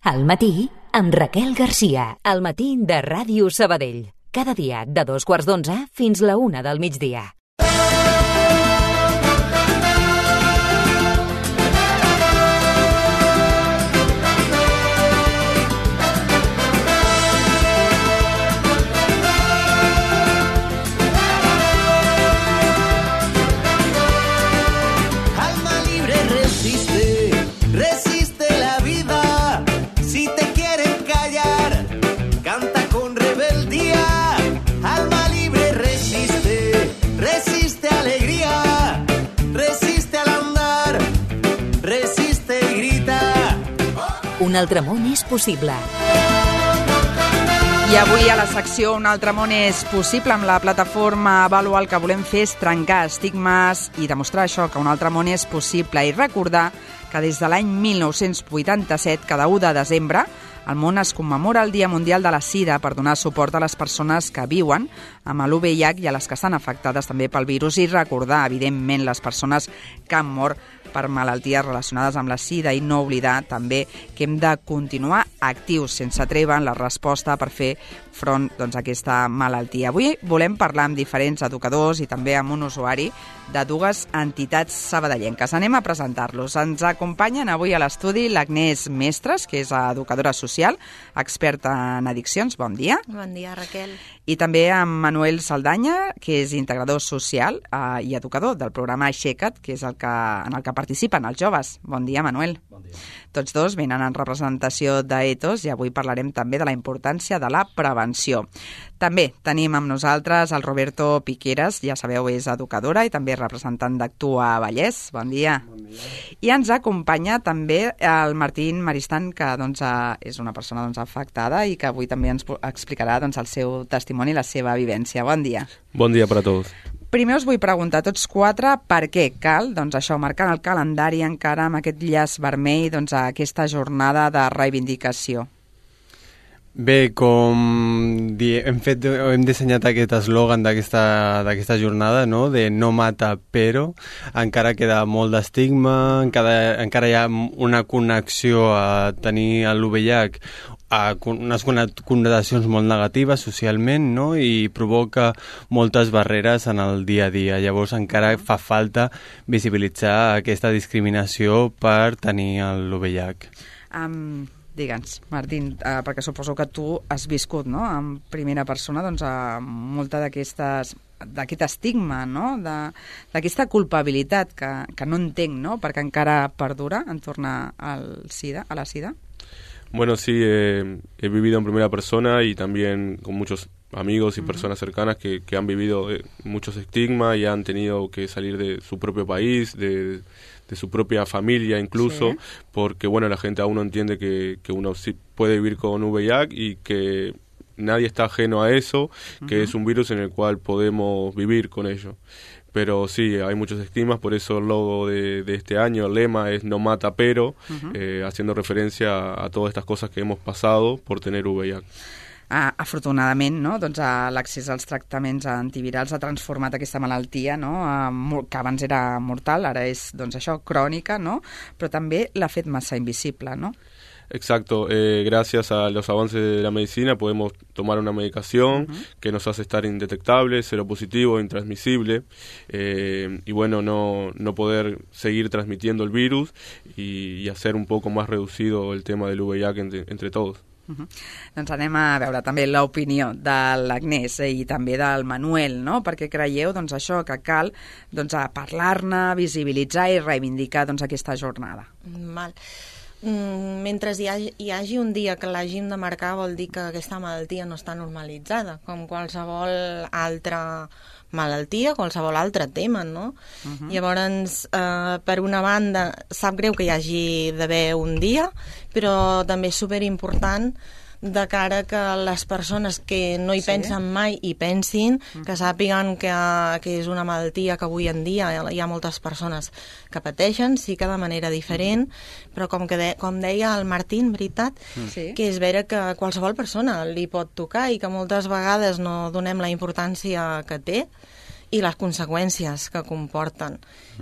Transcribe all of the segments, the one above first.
Al matí, amb Raquel Garcia. Al matí de Ràdio Sabadell. Cada dia de 2:15 fins la 1 del migdia. Un altre món és possible. I avui a la secció Un altre món és possible, amb la plataforma Avaluar, el que volem fer és trencar estigmes i demostrar això, que un altre món és possible, i recordar que des de l'any 1987, cada 1 de desembre, al món es commemora el Dia Mundial de la Sida per donar suport a les persones que viuen amb l'UVIH i a les que estan afectades també pel virus, i recordar, evidentment, les persones que han mort per malalties relacionades amb la sida, i no oblidar també que hem de continuar actius sense treva en la resposta per fer front a aquesta malaltia. Avui volem parlar amb diferents educadors i també amb un usuari de 2 entitats sabadellenques. Anem a presentar-los. Ens acompanyen avui a l'estudi l'Agnès Mestres, que és educadora social, experta en addiccions. Bon dia. Bon dia, Raquel. I també amb Manuel Saldanya, que és integrador social i educador del programa Aixeca't, que és en el que participen els joves. Bon dia, Manuel. Bon dia. Tots dos venen en representació d'Ethos i avui parlarem també de la importància de la prevenció. També tenim amb nosaltres el Roberto Piqueras, ja sabeu, és educadora i també representant d'Actua Vallès. Bon dia. Bon dia. I ens acompanya també el Martín Maristan, que és una persona afectada i que avui també ens explicarà el seu testimoni i la seva vivència. Bon dia. Bon dia per a tots. Primer us vull preguntar tots 4 per què cal, això, marcar el calendari encara amb aquest llaç vermell, aquesta jornada de reivindicació. Bé, com hem dissenyat aquest eslògan d'aquesta jornada, no? De no mata però, encara queda molt d'estigma, encara hi ha una connexió a tenir l'UVIH, unes connotacions molt negatives socialment, no? I provoca moltes barreres en el dia a dia. Llavors encara fa falta visibilitzar aquesta discriminació per tenir l'UVIH. Digue'ns, Martín, perquè suposo que tu has viscut, no?, en primera persona, molta d'aquest estigma, no?, d'aquesta culpabilitat que no entenc, no?, perquè encara perdura en tornar a la sida. Bueno, sí, he vivido en primera persona y también con muchos amigos y personas cercanas que han vivido muchos estigmas y han tenido que salir de su propio país, de su propia familia incluso, sí, porque bueno, la gente aún no entiende que uno sí puede vivir con VIH y que nadie está ajeno a eso, que es un virus en el cual podemos vivir con ello. Pero sí, hay muchos estigmas, por eso el logo de este año, el lema es no mata pero, haciendo referencia a todas estas cosas que hemos pasado por tener VIH. Afortunadament, no? L'accés als tractaments antivirals ha transformat aquesta malaltia, no? Que abans era mortal, ara és això, crònica, no? Però també l'ha fet massa invisible, no? Exacto, gracias a los avances de la medicina podemos tomar una medicación que nos hace estar indetectable, seropositivo, intransmisible, y bueno, no poder seguir transmitiendo el virus y hacer un poco más reducido el tema del VIH entre todos. Doncs anem a veure també l'opinió de l'Agnès i també del Manuel, no? Perquè creieu això, que cal parlar-ne, visibilitzar i reivindicar aquesta jornada. Val. Mentre hi hagi un dia que l'hàgim de marcar vol dir que aquesta malaltia no està normalitzada, com qualsevol altra malaltia, qualsevol altre tema, no? Llavors, per una banda, sap greu que hi hagi d'haver un dia, però també és superimportant de cara que les persones que no hi pensen mai hi pensin, que sàpiguen que és una malaltia que avui en dia hi ha moltes persones que pateixen, sí que de manera diferent, però com deia el Martín, veritat, que és vera que qualsevol persona li pot tocar i que moltes vegades no donem la importància que té, i les conseqüències que comporten.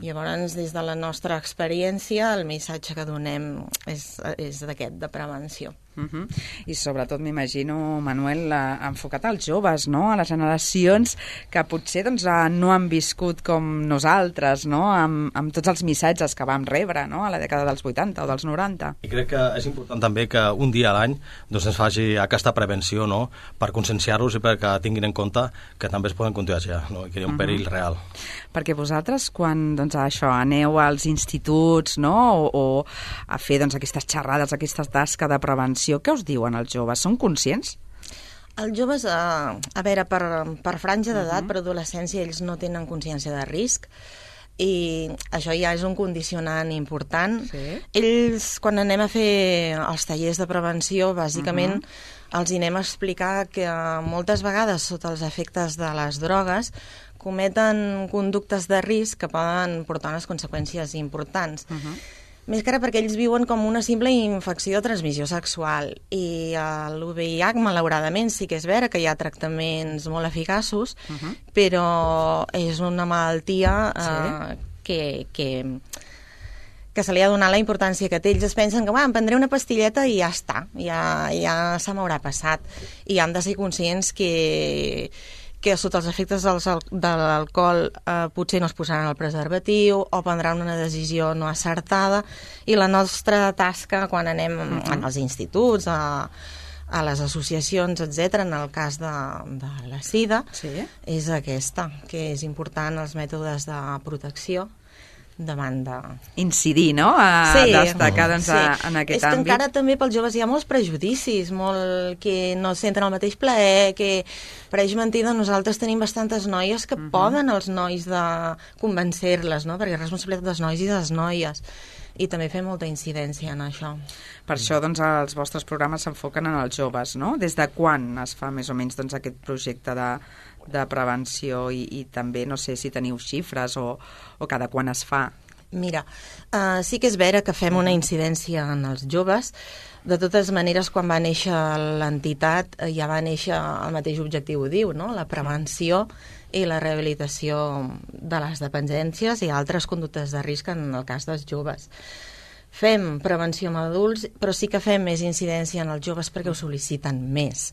Llavors, des de la nostra experiència, el missatge que donem és d'aquest, de prevenció. I sobretot m'imagino, Manuel, enfocat als joves, no? A les generacions que potser no han viscut com nosaltres, no? Amb tots els missatges que vam rebre, no? A la dècada dels 80 o dels 90. I crec que és important també que un dia a l'any ens faci aquesta prevenció, no? Per conscienciar-los i perquè tinguin en compte que també es poden contagiar, no? I que hi ha un perill real. Perquè vosaltres, quan aneu als instituts, no? o a fer aquestes xerrades, aquesta tasca de prevenció, què us diuen els joves? Són conscients? Els joves, a veure, per franja d'edat, per adolescència, ells no tenen consciència de risc, i això ja és un condicionant important. Sí. Ells, quan anem a fer els tallers de prevenció, bàsicament els anem a explicar que moltes vegades, sota els efectes de les drogues, cometen conductes de risc que poden portar unes conseqüències importants. Més que ara perquè ells viuen com una simple infecció de transmissió sexual, i l'UVIH, malauradament, sí que és vera que hi ha tractaments molt eficaços, però és una malaltia que se li ha donat la importància que té. Ells es pensen que em prendré una pastilleta i ja està, ja se m'haurà passat, i han de ser conscients que sota els efectes de l'alcohol potser no es posaran el preservatiu o prendran una decisió no acertada, i la nostra tasca quan anem als instituts, a les associacions, etc., en el cas de la SIDA, és aquesta, que és important els mètodes de protecció davant de... Incidir, no? A destacar en aquest àmbit. És que encara també pels joves hi ha molts prejudicis, que no senten el mateix plaer, que pareix mentida, nosaltres tenim bastantes noies que poden els nois de convencer-les, no? Perquè és responsabilitat dels nois i de les noies, i també fem molta incidència en això. Per això els vostres programes s'enfoquen en els joves, no? Des de quan es fa més o menys aquest projecte de prevenció, i també no sé si teniu xifres o cada quan es fa? Mira, sí que és vera que fem una incidència en els joves. De totes maneres, quan va néixer l'entitat ja va néixer el mateix objectiu, ho diu, no? La prevenció i la rehabilitació de les dependències i altres conductes de risc en el cas dels joves. Fem prevenció amb adults, però sí que fem més incidència en els joves perquè ho sol·liciten més.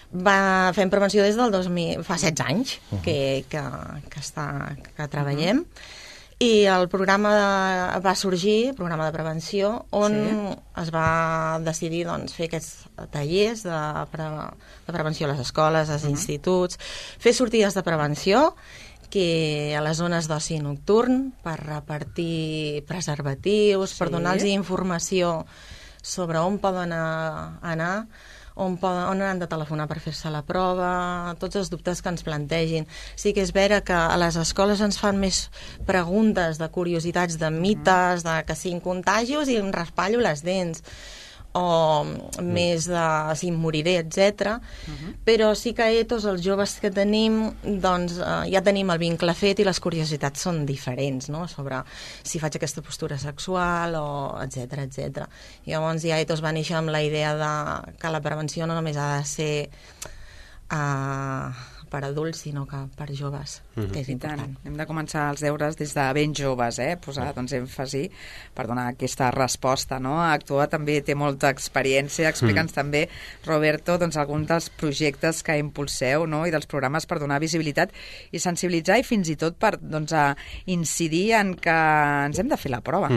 Fem prevenció des del 2000, fa 16 anys que treballem, i el programa va sorgir, el programa de prevenció, on es va decidir fer aquests tallers de prevenció a les escoles, als instituts, fer sortides de prevenció que a les zones d'oci nocturn, per repartir preservatius, per donar-los informació sobre on poden anar, on han de telefonar per fer-se la prova, tots els dubtes que ens plantegin. Sí que és vera que a les escoles ens fan més preguntes de curiositats, de mites, de que si em contagio i em raspallo les dents, o més de si em moriré, etc. Però sí que tots els joves que tenim, ja tenim el vincle fet i les curiositats són diferents, no? Sobre si faig aquesta postura sexual, o etc, etc. Llavors ja tots va néixer amb la idea que la prevenció no només ha de ser per adults, sinó que per joves, que és important. Hem de començar els deures des de ben joves, posar èmfasi per donar aquesta resposta, no? Actua també té molta experiència. Explica'ns també, Roberto, alguns dels projectes que impulseu, no? I dels programes per donar visibilitat i sensibilitzar, i fins i tot per incidir en que ens hem de fer la prova.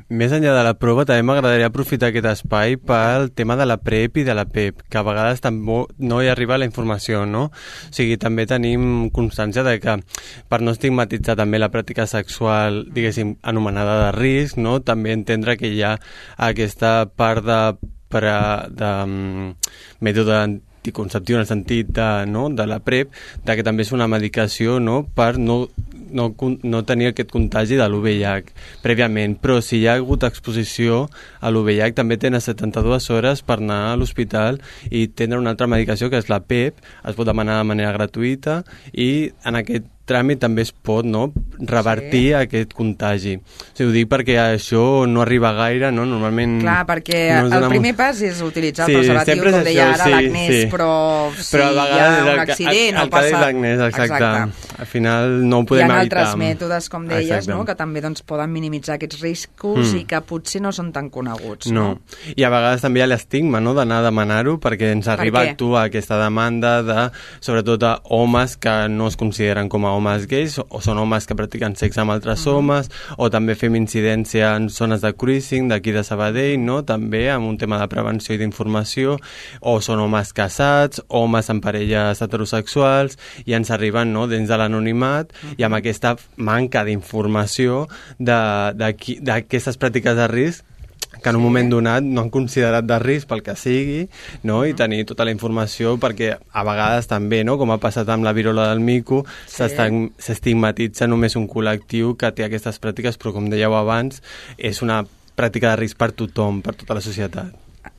Més enllà de la prova, també m'agradaria aprofitar aquest espai pel tema de la PrEP i de la PEP, que a vegades no hi arriba la informació, no? O sigui, també tenim constància de que, per no estigmatitzar també la pràctica sexual, diguéssim, anomenada de risc, no? També entendre que hi ha aquesta part de mètode anticonceptiu en el sentit de la PrEP, de que també és una medicació, no? Per no tenir aquest contagi de l'UVIH prèviament, però si hi ha hagut exposició a l'UVIH també tenen 72 hores per anar a l'hospital i tindre una altra medicació que és la PEP, es pot demanar de manera gratuïta, i en aquest tràmit també es pot, no?, revertir aquest contagi. O sigui, ho dic perquè això no arriba gaire, no? Normalment... Clar, perquè no el primer pas és utilitzar el preservatiu, com deia ara l'Agnès, però si hi ha un accident o passa... Exacte. Al final no ho podem evitar. Hi ha altres mètodes, com deies, no?, que també doncs, poden minimitzar aquests riscos i que potser no són tan coneguts. No. I a vegades també hi ha l'estigma, no?, d'anar a demanar-ho, perquè ens arriba a actuar aquesta demanda de, sobretot, a homes que no es consideren com a homes gais, o són homes que practiquen sexe amb altres homes, o també fem incidència en zones de cruising d'aquí de Sabadell, no?, també amb un tema de prevenció i d'informació, o són homes casats, homes amb parelles heterosexuals, i ens arriben, no?, dins de l'anonimat, i amb aquesta manca d'informació d'aquestes pràctiques de risc que en un moment donat no han considerat de risc pel que sigui, no?, i tenir tota la informació, perquè a vegades també, no?, com ha passat amb la virola del mico, s'estigmatitza només un col·lectiu que té aquestes pràctiques, però com dèieu abans, és una pràctica de risc per tothom, per tota la societat.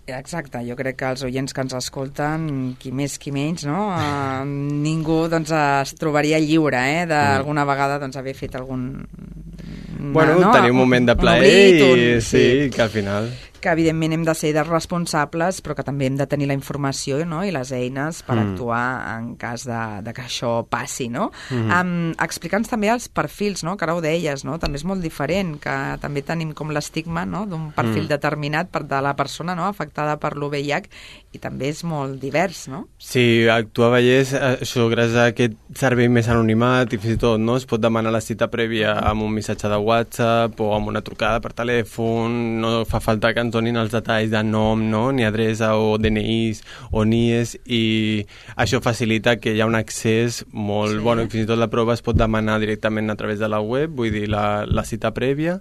Exacte, jo crec que els oients que ens escolten, qui més qui menys, no? Ningú doncs, es trobaria lliure d'alguna vegada doncs, haver fet algun... tenir un moment de plaer i que al final... que evidentment hem de ser responsables, però que també hem de tenir la informació, no?, i les eines per actuar en cas de que això passi, no? Explica'ns també els perfils, no?, que ara ho deies, no?, també és molt diferent, que també tenim com l'estigma, no?, d'un perfil determinat de la persona, no?, afectada per l'UVIH, i també és molt divers, no? Sí, actuar a Vallès, això gràcies a aquest servei més anonimat i fins i tot, no?, es pot demanar la cita prèvia amb un missatge de WhatsApp o amb una trucada per telèfon, no fa falta que ens donin els detalls de nom, no?, ni adreça o DNIs o NIEs, i això facilita que hi ha un accés molt bon, i fins i tot la prova es pot demanar directament a través de la web, vull dir, la cita prèvia,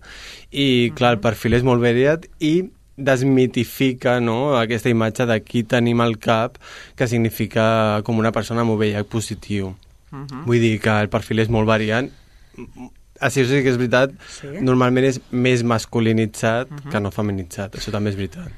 i clar, el perfil és molt variat i desmitifica, no?, aquesta imatge de qui tenim al cap que significa com una persona amb VIH positiu. Vull dir que el perfil és molt variant. Així sí que és veritat, normalment és més masculinitzat que no feminitzat, això també és veritat.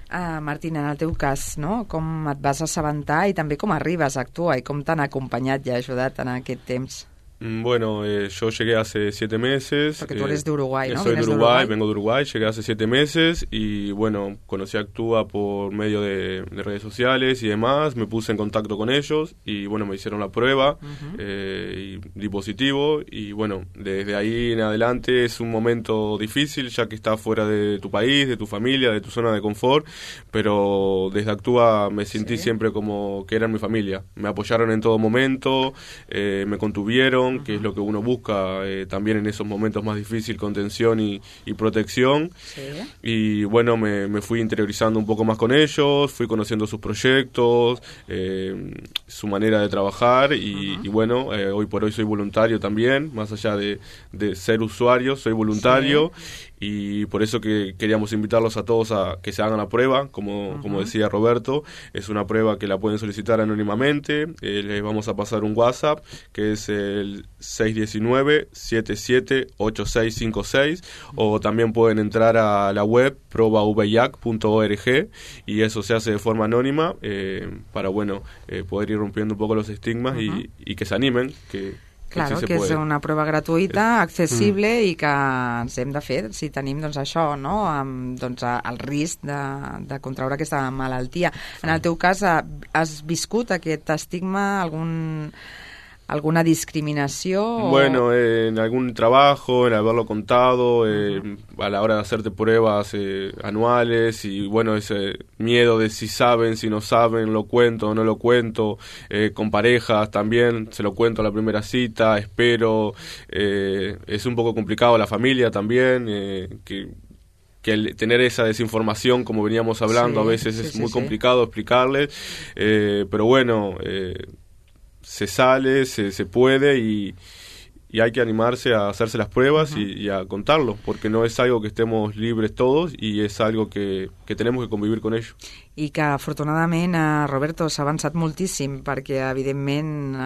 Martina, en el teu cas, no?, com et vas assabentar i també com arribes a actuar i com t'han acompanyat i ajudat en aquest temps? Bueno, yo llegué hace 7 meses. Porque tú eres de Uruguay, ¿no? Soy de Uruguay, vengo de Uruguay, llegué hace 7 meses y bueno, conocí a Actúa por medio de redes sociales y demás, me puse en contacto con ellos y bueno, me hicieron la prueba y di positivo y bueno, desde ahí en adelante es un momento difícil ya que estás fuera de tu país, de tu familia, de tu zona de confort, pero desde Actúa me sentí siempre como que eran mi familia, me apoyaron en todo momento, me contuvieron, que es lo que uno busca también en esos momentos más difíciles, contención y protección. Y bueno, me fui interiorizando un poco más con ellos, fui conociendo sus proyectos, su manera de trabajar y bueno, hoy por hoy soy voluntario también, más allá de ser usuario, soy voluntario. Y por eso que queríamos invitarlos a todos a que se hagan la prueba, como decía Roberto, es una prueba que la pueden solicitar anónimamente, les vamos a pasar un WhatsApp que es el 619-778656 o también pueden entrar a la web probaviac.org y eso se hace de forma anónima para bueno poder ir rompiendo un poco los estigmas y que se animen, Claro, que és una prova gratuïta, accessible i que ens hem de fer si tenim doncs, això, no? Doncs, el risc de contraure aquesta malaltia. En el teu cas, has viscut aquest estigma, alguna discriminació? Bueno, en algún trabajo, en haberlo contado, a la hora de hacerte pruebas anuales y bueno, ese miedo de si saben, si no saben, lo cuento o no lo cuento, con parejas también, se lo cuento a la primera cita, espero, es un poco complicado la familia también, que el tener esa desinformación, como veníamos hablando, a veces es muy complicado explicarles, pero bueno... se sale, se puede y hay que animarse a hacerse las pruebas y a contarlo, porque no es algo que estemos libres todos y es algo que tenemos que convivir con ello. i que afortunadament, Roberto, s'ha avançat moltíssim perquè evidentment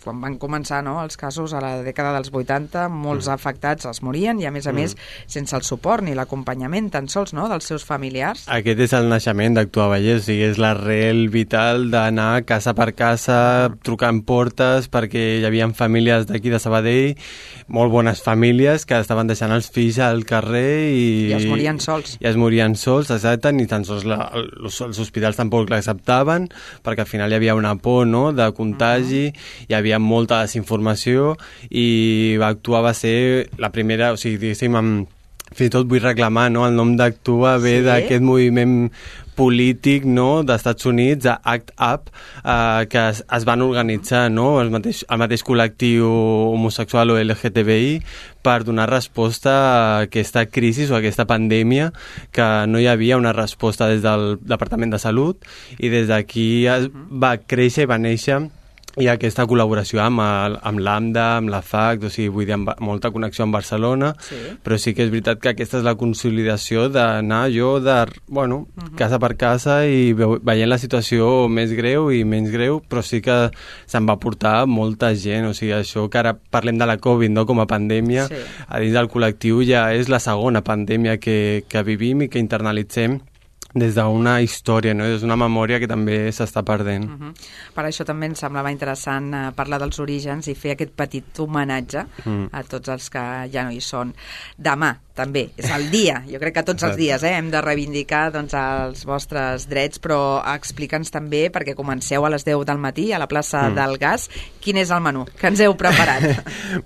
quan van començar els casos a la dècada dels 80 molts afectats es morien i a més sense el suport ni l'acompanyament tan sols dels seus familiars. Aquest és el naixement d'Actua Vallès, o sigui, és l'arrel vital d'anar casa per casa trucant portes perquè hi havia famílies d'aquí de Sabadell, molt bones famílies que estaven deixant els fills al carrer i es morien sols. I es morien sols, exacte, ni tan sols els hospitals tampoc l'acceptaven perquè al final hi havia una por de contagi, hi havia molta desinformació i Actua va ser la primera, o sigui, diguéssim, fins i tot vull reclamar, el nom d'Actua ve d'aquest moviment polític d'Estats Units, ACT UP, que es van organitzar el mateix col·lectiu homosexual o LGTBI per donar resposta a aquesta crisi o a aquesta pandèmia que no hi havia una resposta des del Departament de Salut i des d'aquí va créixer i va néixer i aquesta col·laboració amb l'AMDA, amb la FAC, o sigui, vull dir, molta connexió amb Barcelona, però sí que és veritat que aquesta és la consolidació d'anar casa per casa i veient la situació més greu i menys greu, però sí que se'n va portar molta gent, o sigui, això que ara parlem de la Covid com a pandèmia, a dins del col·lectiu ja és la segona pandèmia que vivim i que internalitzem des d'una història, des d'una memòria que també s'està perdent. Per això també ens semblava interessant parlar dels orígens i fer aquest petit homenatge a tots els que ja no hi són. Demà, també, és el dia, jo crec que tots els dies hem de reivindicar els vostres drets, però explica'ns també, perquè comenceu a les 10 del matí a la plaça del Gas, quin és el menú que ens heu preparat?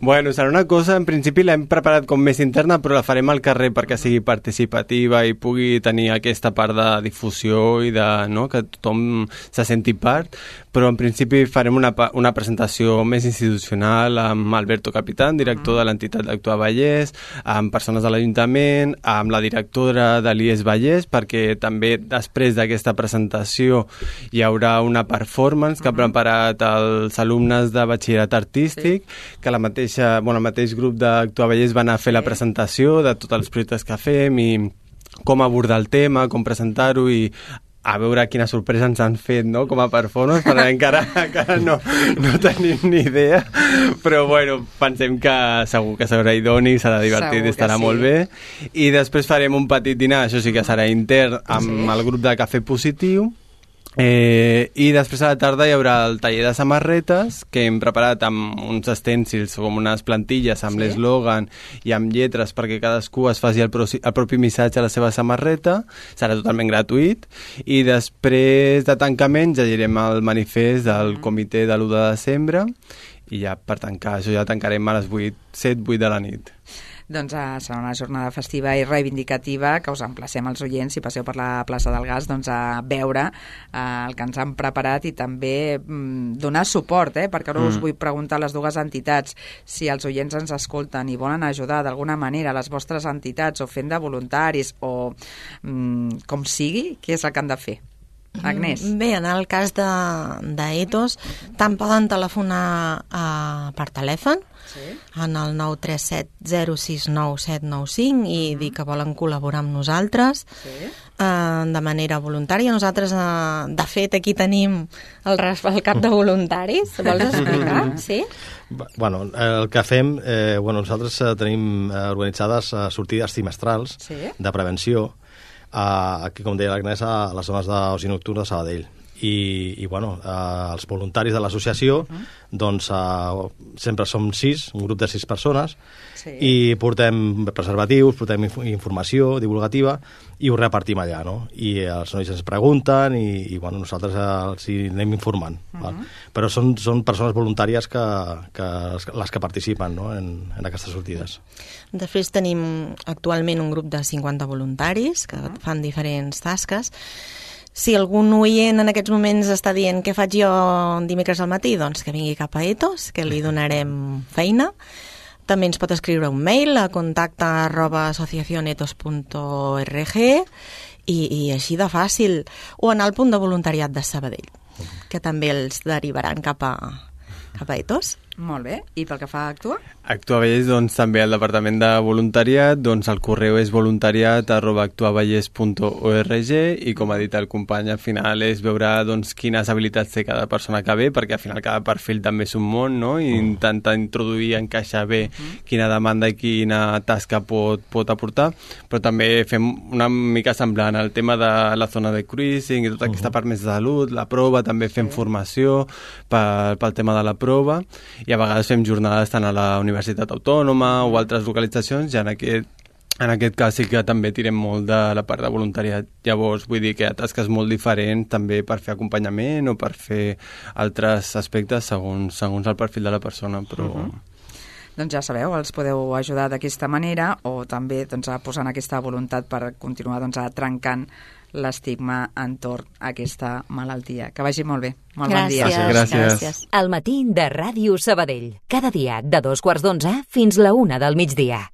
Bueno, serà una cosa, en principi l'hem preparat com més interna, però la farem al carrer perquè sigui participativa i pugui tenir aquesta part de difusió i que tothom se senti part, però en principi farem una presentació més institucional amb Alberto Capitán, director de l'entitat d'Actua Vallès, amb persones de l'Ajuntament, amb la directora de l'IES Vallès, perquè també després d'aquesta presentació hi haurà una performance que ha preparat els alumnes de batxillerat artístic, que el mateix grup d'Actua Vallès van a fer la presentació de tots els projectes que fem i com abordar el tema, com presentar-ho i a veure quina sorpresa ens han fet com a performance, perquè encara no tenim ni idea, però pensem que segur que serà idoni, serà divertit i estarà molt bé. I després farem un petit dinar, això sí que serà intern, amb el grup de Cafè Positiu, i després a la tarda hi haurà el taller de samarretes que hem preparat amb uns estèncils com unes plantilles amb l'eslògan i amb lletres perquè cadascú es faci el propi missatge a la seva samarreta, serà totalment gratuït i després de tancament ja llegirem el manifest del comitè de l'1 de desembre i ja per tancar, això ja tancarem a les 7-8 de la nit. Doncs serà una jornada festiva i reivindicativa que us emplacem als oients si passeu per la plaça del Gas a veure el que ens han preparat i també donar suport, perquè ara us vull preguntar a les dues entitats si els oients ens escolten i volen ajudar d'alguna manera a les vostres entitats o fent de voluntaris o com sigui, què és el que han de fer? Agnès? Bé, en el cas d'Ethos tant poden telefonar per telèfon en el 937069795 i dir que volen col·laborar amb nosaltres de manera voluntària. Nosaltres, de fet, aquí tenim el cap de voluntaris. Vols explicar? Sí? Bueno, el que fem, nosaltres tenim organitzades sortides trimestrals de prevenció aquí, com deia l'Agnès, a les zones d'oci nocturn de Sabadell. I els voluntaris de l'associació sempre som 6, un grup de 6 persones i portem preservatius, portem informació divulgativa i ho repartim allà, i els nois ens pregunten i nosaltres els anem informant. Però són persones voluntàries les que participen en aquestes sortides. Després tenim actualment un grup de 50 voluntaris que fan diferents tasques. Si algun oient en aquests moments està dient què faig jo dimecres al matí, doncs que vingui cap a Ethos, que li donarem feina. També ens pot escriure un mail a contacta@asociacionetos.org i així de fàcil. O anar al punt de voluntariat de Sabadell, que també els derivaran cap a Ethos. Molt bé. I pel que fa a Actua? Actua Vallès, doncs, també al Departament de Voluntariat, doncs el correu és voluntariat@actuavallès.org i, com ha dit el company, al final és veure doncs, quines habilitats té cada persona que ve, perquè al final cada perfil també és un món, no? I intentar introduir, encaixar bé quina demanda i quina tasca pot aportar, però també fem una mica semblant al tema de la zona de cruising i tota aquesta part més de salut, la prova, també fem formació pel tema de la prova, i a vegades fem jornades tant a la Universitat Autònoma o altres localitzacions, i en aquest cas sí que també tirem molt de la part de voluntariat. Llavors, vull dir que hi ha tasques molt diferents també per fer acompanyament o per fer altres aspectes segons el perfil de la persona, però... Doncs ja sabeu, els podeu ajudar d'aquesta manera o també doncs, a posar aquesta voluntat per continuar doncs, trencant l'estigma entorn a aquesta malaltia. Que vagi molt bé. Molt bon dia. Gràcies. El matí de Ràdio Sabadell. Cada dia de 2:15 fins la 1 del migdia.